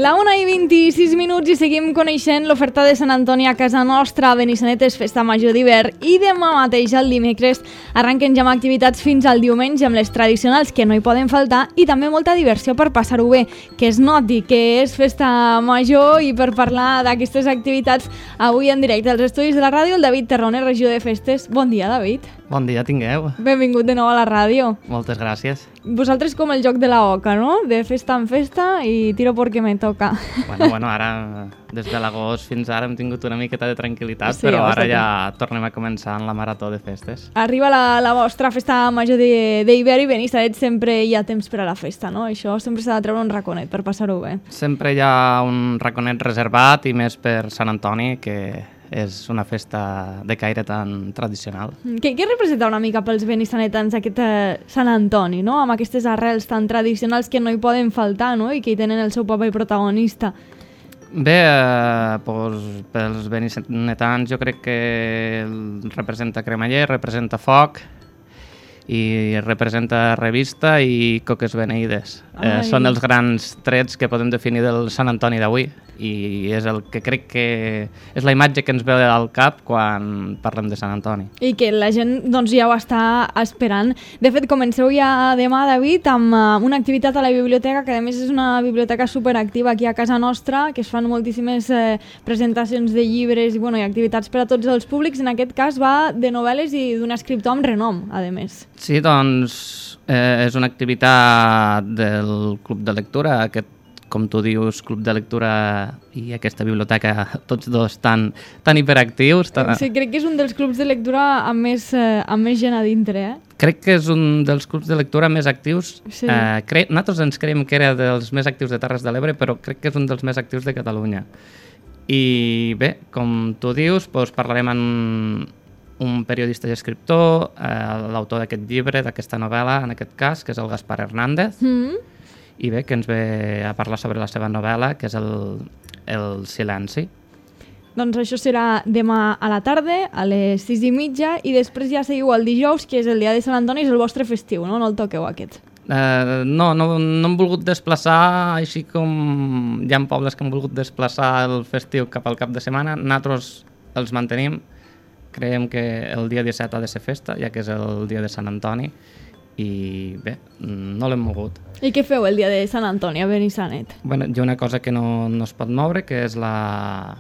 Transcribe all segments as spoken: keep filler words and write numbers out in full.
La una i vint-i-sis minuts i seguim coneixent l'oferta de Sant Antoni a casa nostra. A Benissanet és festa major d'hivern i demà mateix, el dimecres, arrenquen ja amb activitats fins al diumenge amb les tradicionals que no hi poden faltar i també molta diversió per passar-ho bé, que es noti que és festa major. I per parlar d'aquestes activitats, avui en directe als estudis de la ràdio, el David Terrones, regidor de festes. Bon dia, David. Bon dia, tingueu. Benvingut de nou a la ràdio. Moltes gràcies. Vosaltres com el joc de la oca, no? De festa en festa i tiro perquè me toca. Bueno, bueno, ara, des de l'agost fins ara hem tingut una miqueta de tranquil·litat, Sí, però ara bastante. ja tornem a començar en la marató de festes. Arriba la, la vostra festa major d'hivern i Benissanet sempre hi ha temps per a la festa, no? Això sempre s'ha de treure un raconet per passar-ho bé. Sempre hi ha un raconet reservat i més per Sant Antoni, que és una festa de caire tan tradicional. Què, què representa una mica pels benissanetans aquest eh, Sant Antoni, no? Amb aquestes arrels tan tradicionals que no hi poden faltar, no? I que hi tenen el seu paper protagonista. Bé, eh, doncs, pels benissanetans jo crec que representa cremeller, representa foc i representa revista i coques beneïdes. Eh, Ai. són els grans trets que podem definir del Sant Antoni d'avui i és el que crec que és la imatge que ens ve al cap quan parlem de Sant Antoni. I que la gent doncs, ja ho està esperant. De fet, comenceu ja demà, David, amb uh, una activitat a la biblioteca, que a més és una biblioteca superactiva aquí a casa nostra, que es fan moltíssimes eh, presentacions de llibres i, bueno, i activitats per a tots els públics. En aquest cas va de novel·les i d'un escriptor amb renom, a més. Sí, doncs eh, és una activitat del Club de Lectura, aquest, com tu dius, Club de Lectura i aquesta biblioteca, tots dos tan, tan hiperactius. Tan... Sí, crec que és un dels clubs de lectura amb més, eh, amb més gent a dintre, eh? Crec que és un dels clubs de lectura més actius. Sí. Eh, cre... Nosaltres ens creiem que era dels més actius de Terres de l'Ebre, però crec que és un dels més actius de Catalunya. I bé, com tu dius, doncs parlarem amb un periodista i escriptor, eh, l'autor d'aquest llibre, d'aquesta novel·la, en aquest cas, que és el Gaspar Hernández, Mm. i bé, que ens ve a parlar sobre la seva novel·la, que és el, el Silenci. Doncs això serà demà a la tarda, a les sis i mitja, i després ja seguiu el dijous, que és el dia de Sant Antoni, és el vostre festiu, no? No el toqueu, aquest. Eh, no, no, no hem volgut desplaçar, així com hi ha pobles que han volgut desplaçar el festiu cap al cap de setmana, nosaltres els mantenim. Creiem que el dia disset ha de ser festa, ja que és el dia de Sant Antoni, i bé, no l'hem mogut. I què feu el dia de Sant Antoni a Benissanet? Bueno, hi ha una cosa que no, no es pot moure, que és la...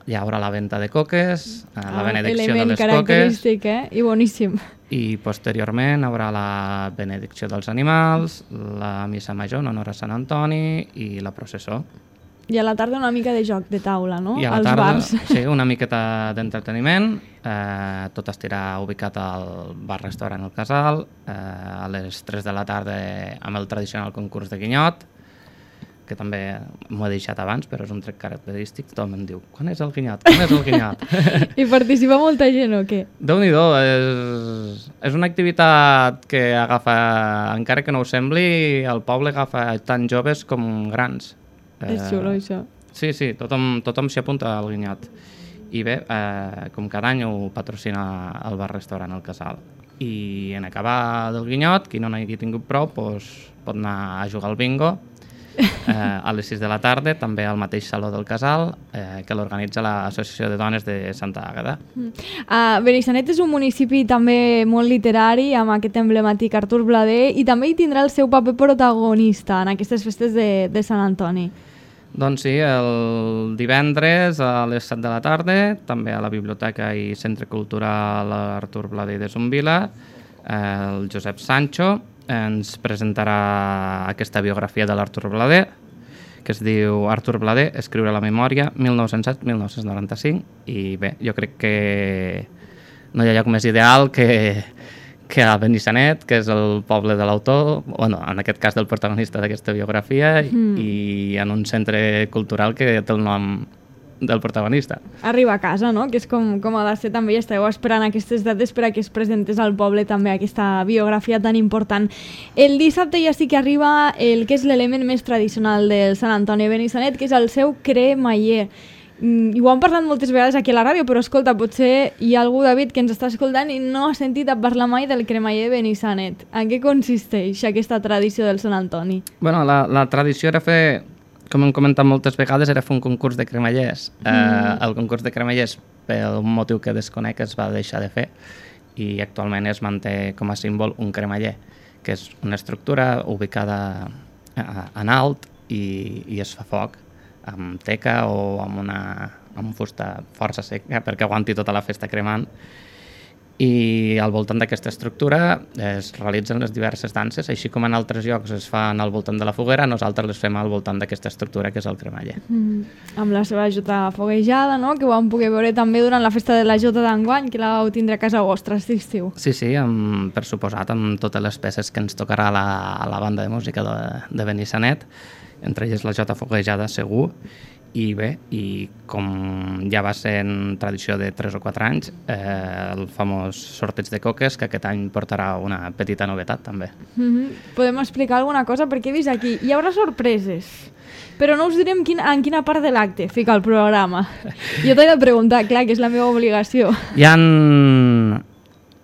Hi haurà la venda de coques, eh, la benedicció de Element les coques, característic, eh? I boníssim. i posteriorment haurà la benedicció dels animals, la missa major en honor a Sant Antoni i la processó. I a la tarda una mica de joc de taula, no? I a la Als tarda, bars. sí, una miqueta d'entreteniment, eh, tot estirà ubicat al bar-restaurant El Casal, eh, a les tres de la tarda amb el tradicional concurs de guinyot, que també m'ho he deixat abans, però és un tret característic. Tothom em diu, quan és el guinyot? Quan és el guinyot? I participa molta gent o què? Déu-n'hi-do, és, és una activitat que agafa, encara que no ho sembli, el poble agafa tant joves com grans. És xulo, això. Sí, sí, tothom, tothom s'hi apunta al guinyot. I bé, eh, com cada any ho patrocina el bar-restaurant El Casal. I en acabar del guinyot, qui no n'hagi tingut prou, doncs, pot anar a jugar al bingo eh, a les sis de la tarda, també al mateix saló del Casal, eh, que l'organitza l'Associació de Dones de Santa Àgueda. Uh, Benissanet és un municipi també molt literari, amb aquest emblemàtic Artur Blader, i també hi tindrà el seu paper protagonista en aquestes festes de, de Sant Antoni. Doncs sí, el divendres a les set de la tarda, també a la Biblioteca i Centre Cultural Artur Blader de Zumbila, el Josep Sancho ens presentarà aquesta biografia de l'Artur Blader, que es diu Artur Blader, escriure la memòria, mil nou-cents set a mil nou-cents noranta-cinc, i bé, jo crec que no hi ha lloc més ideal que, que a Benissanet, que és el poble de l'autor, bueno, en aquest cas del protagonista d'aquesta biografia, mm. i en un centre cultural que té el nom del protagonista. Arriba a casa, no? Que és com, com ha de ser també, i esteu esperant aquestes dates per a que es presentés al poble també aquesta biografia tan important. El dissabte ja sí que arriba el que és l'element més tradicional del Sant Antoni de Benissanet, que és el seu cremeller. Mm, i ho hem parlat moltes vegades aquí a la ràdio, però escolta, potser hi ha algú, David, que ens està escoltant i no ha sentit a parlar mai del cremeller de Benissanet. En què consisteix aquesta tradició del Sant Antoni? Bueno, la, la tradició era fer com hem comentat moltes vegades, era fer un concurs de cremallers. Mm. Eh, el concurs de cremallers, per un motiu que desconec, es va deixar de fer i actualment es manté com a símbol un cremaller, que és una estructura ubicada en alt i, i es fa foc amb teca o amb una amb fusta força seca perquè aguanti tota la festa cremant. I al voltant d'aquesta estructura es realitzen les diverses danses, així com en altres llocs es fan al voltant de la foguera, nosaltres les fem al voltant d'aquesta estructura que és el cremaller. Mm, amb la seva jota foguejada, no? Que ho vam poder veure també durant la festa de la jota d'enguany, que la vau tindre a casa vostra aquest estiu. Sí, sí, amb, per suposat, amb totes les peces que ens tocarà la, la banda de música de, de Benissanet, entre elles la jota foguejada segur. I bé, i com ja va ser en tradició de tres o quatre anys, eh, el famós sorteig de coques, que aquest any portarà una petita novetat també. Mm-hmm. Podem explicar alguna cosa? Perquè he vist aquí, hi haurà sorpreses, però no us direm quin, en quina part de l'acte fica el programa. Jo t'he de preguntar, clar, que és la meva obligació. Hi ha...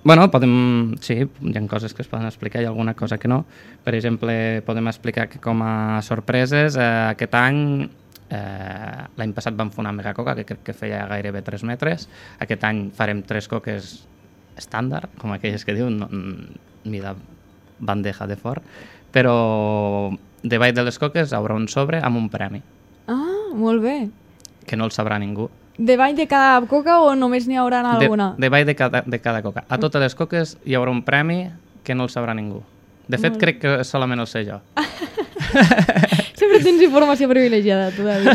Bueno, podem... Sí, hi ha coses que es poden explicar, hi ha alguna cosa que no. Per exemple, podem explicar que com a sorpreses, eh, aquest any... Eh, l'any passat vam fer una megacoca que crec que feia gairebé tres metres. Aquest any farem tres coques estàndard, com aquelles que diuen, no, mida bandeja de fort, però davall de les coques hi haurà un sobre amb un premi. Ah, molt bé. Que no el sabrà ningú. Davall de cada coca o només n'hi haurà alguna? De, davall de cada, de cada coca. A totes les coques hi haurà un premi que no el sabrà ningú. De fet, crec que solament el sé jo. Sempre tens informació privilegiada, tu, David.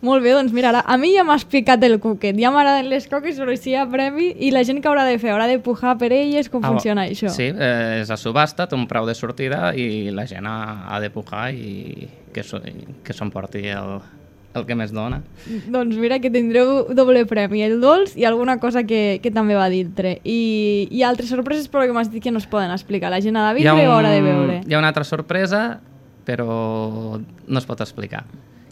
Molt bé, doncs mira, ara, a mi ja m'has picat el cuquet, ja m'agraden les coques, però si hi ha premi, i la gent que haurà de fer, haurà de pujar per elles, com ah, funciona això? Sí, eh, és a subhasta, té un preu de sortida i la gent ha, ha de pujar i que, so, que s'emporti el, el que més dona. Doncs mira que tindreu doble premi, el dolç i alguna cosa que, que també va dintre. I, i altres sorpreses, però que m'has dit que no es poden explicar. La gent ha de vindre o haurà de veure? Hi ha una altra sorpresa, però no es pot explicar.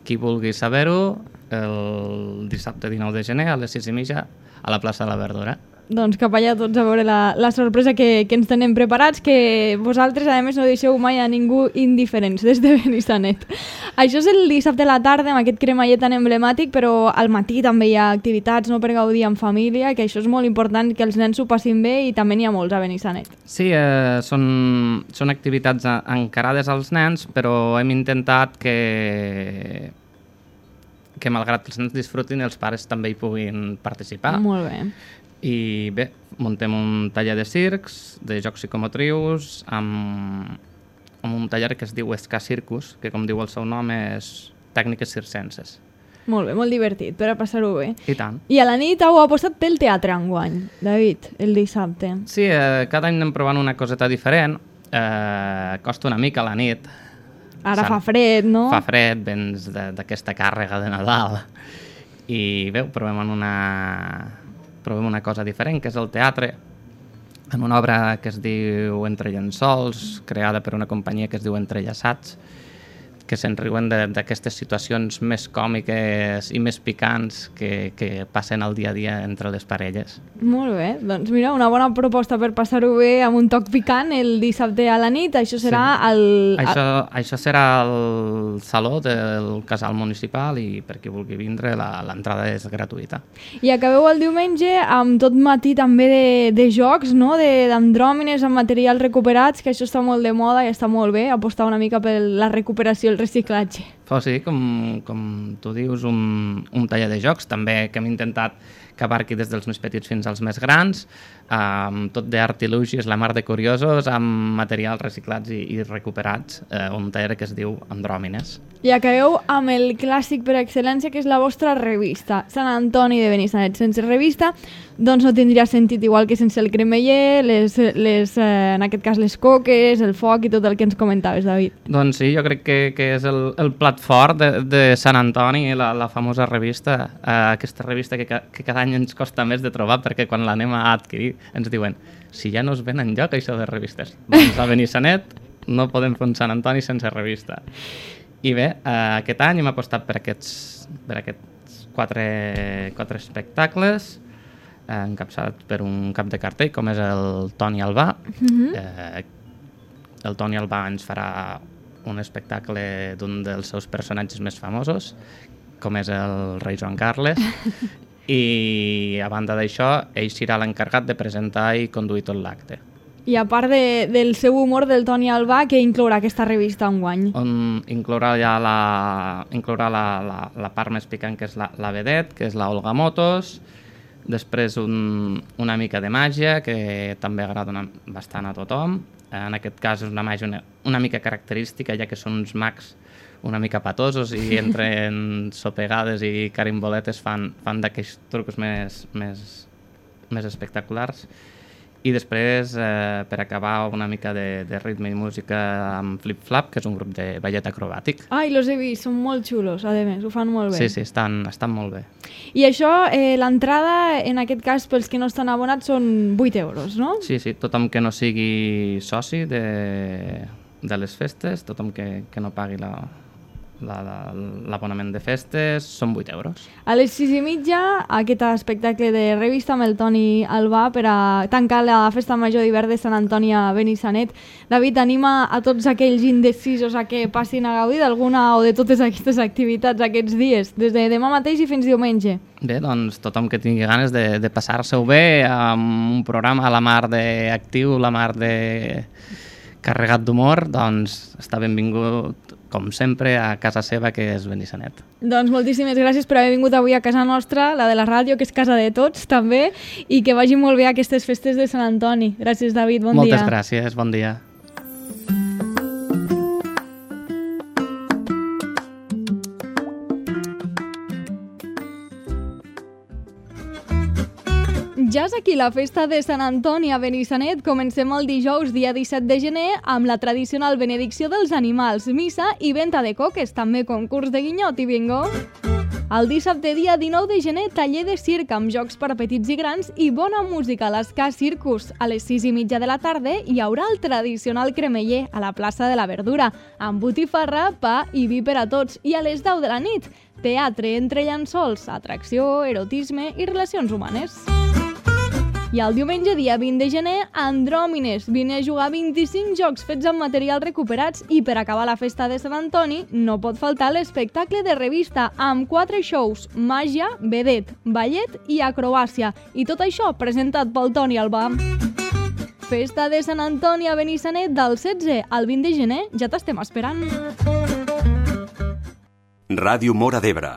Qui vulgui saber-ho, el dissabte dinou de gener a les sis i mitja a la plaça de la Verdura. Doncs cap allà tots a veure la, la sorpresa que, que ens tenem preparats, que vosaltres, a més, no deixeu mai a ningú indiferents des de Benissanet. Això és el dissabte a la tarda, amb aquest cremallet tan emblemàtic, però al matí també hi ha activitats, no, per gaudir en família, que això és molt important, que els nens s'ho passin bé, i també n'hi ha molts a Benissanet. Sí, eh, són, són activitats encarades als nens, però hem intentat que... que malgrat que els nens disfrutin, els pares també hi puguin participar. Molt bé. I bé, muntem un taller de circs, de jocs psicomotrius, amb, amb un taller que es diu Esca Circus, que com diu el seu nom és tècniques circenses. Molt bé, molt divertit, per a passar-ho bé. I tant. I a la nit heu apostat pel teatre enguany, David, el dissabte. Sí, eh, cada any anem provant una coseta diferent, eh, costa una mica a la nit. Ara fa fred, no? Fa fred, vens d'aquesta càrrega de Nadal. I bé, provem en una... provem una cosa diferent, que és el teatre, en una obra que es diu Entre llençols, creada per una companyia que es diu Entrellaçats, que se'n riuen d'aquestes situacions més còmiques i més picants que, que passen al dia a dia entre les parelles. Molt bé, doncs mira, una bona proposta per passar-ho bé amb un toc picant el dissabte a la nit. Això serà sí. el... Això, això serà el saló del casal municipal i per qui vulgui vindre l'entrada és gratuïta. I acabeu el diumenge amb tot matí també de, de jocs, no? D'andròmines amb materials recuperats, que això està molt de moda i està molt bé, apostar una mica per la recuperació, el reciclatge. Però sí, com, com tu dius, un, un taller de jocs també que hem intentat que abarqui des dels més petits fins als més grans, amb tot d'artilugis, la mar de curiosos, amb materials reciclats i, i recuperats, eh, un taller que es diu Andròmines. I acabeu amb el clàssic per excel·lència, que és la vostra revista, Sant Antoni de Benissanet. Sense revista, doncs no tindria sentit, igual que sense el cremeller, les, les, eh, en aquest cas les coques, el foc i tot el que ens comentaves, David. Doncs sí, jo crec que, que és el, el plat fort de, de Sant Antoni, la, la famosa revista, eh, aquesta revista que, que cada any ens costa més de trobar, perquè quan l'anem a adquirir ens diuen, si ja no es ven enlloc això de revistes, doncs a Benissanet no podem fer un Sant Antoni sense revista. I bé, eh, aquest any hem apostat per aquests, per aquests quatre, quatre espectacles, eh, encapçalats per un cap de cartell, com és el Toni Albà. Mm-hmm. eh, el Toni Albà ens farà un espectacle d'un dels seus personatges més famosos, com és el rei Joan Carles, i a banda d'això, ell serà l'encarregat de presentar i conduir tot l'acte. I a part de, del seu humor del Toni Albà, què inclourà aquesta revista enguany? On inclourà ja la, inclourà la, la, la part més picant, que és la, la vedet, que és la Olga Motos, després un, una mica de màgia, que també agrada una, bastant a tothom. En aquest cas és una màgia una, una mica característica, ja que són uns mags una mica patosos i entre sopegades i carimboletes fan, fan d'aquells trucs més, més, més espectaculars. I després, eh, per acabar, una mica de, de ritme i música amb Flip Flap, que és un grup de ballet acrobàtic. Ai, los he vist, són molt xulos, a més, ho fan molt bé. Sí, sí, estan, estan molt bé. I això, eh, l'entrada, en aquest cas, pels que no estan abonats, són vuit euros, no? Sí, sí, tothom que no sigui soci de, de les festes, tothom que, que no pagui la... l'abonament de festes són vuit euros. A les sis i mitja, aquest espectacle de revista amb el Toni Albà per a tancar la Festa Major d'Hivern de Sant Antoni a Benissanet. David, anima a tots aquells indecisos a que passin a gaudir d'alguna o de totes aquestes activitats aquests dies, des de demà mateix i fins diumenge. Bé, doncs tothom que tingui ganes de, de passar-se-ho bé amb un programa a la mar d'actiu, la mar de carregat d'humor, doncs està benvingut com sempre, a casa seva, que és Benissanet. Doncs moltíssimes gràcies per haver vingut avui a casa nostra, la de la ràdio, que és casa de tots, també, i que vagi molt bé aquestes festes de Sant Antoni. Gràcies, David, bon Moltes dia. Moltes gràcies, bon dia. Ja és aquí la festa de Sant Antoni a Benissanet. Comencem el dijous, dia disset de gener, amb la tradicional benedicció dels animals, missa i venta de coques, també concurs de guinyot i bingo. El dissabte, dia dinou de gener, taller de circ amb jocs per a petits i grans i bona música a l'Esca Circus. A les sis i mitja de la tarda hi haurà el tradicional cremeller a la plaça de la Verdura, amb botifarra, pa i vi per a tots. I a les deu de la nit, teatre entre llençols, atracció, erotisme i relacions humanes. I el diumenge, dia vint de gener, Andròmines. Vine a jugar vint-i-cinc jocs fets amb materials recuperats i per acabar la festa de Sant Antoni no pot faltar l'espectacle de revista amb quatre shows, màgia, vedet, ballet i acrobàcia. I tot això presentat pel Toni Albà. Festa de Sant Antoni a Benissanet del setze al vint de gener. Ja t'estem esperant. Ràdio Móra d'Ebre,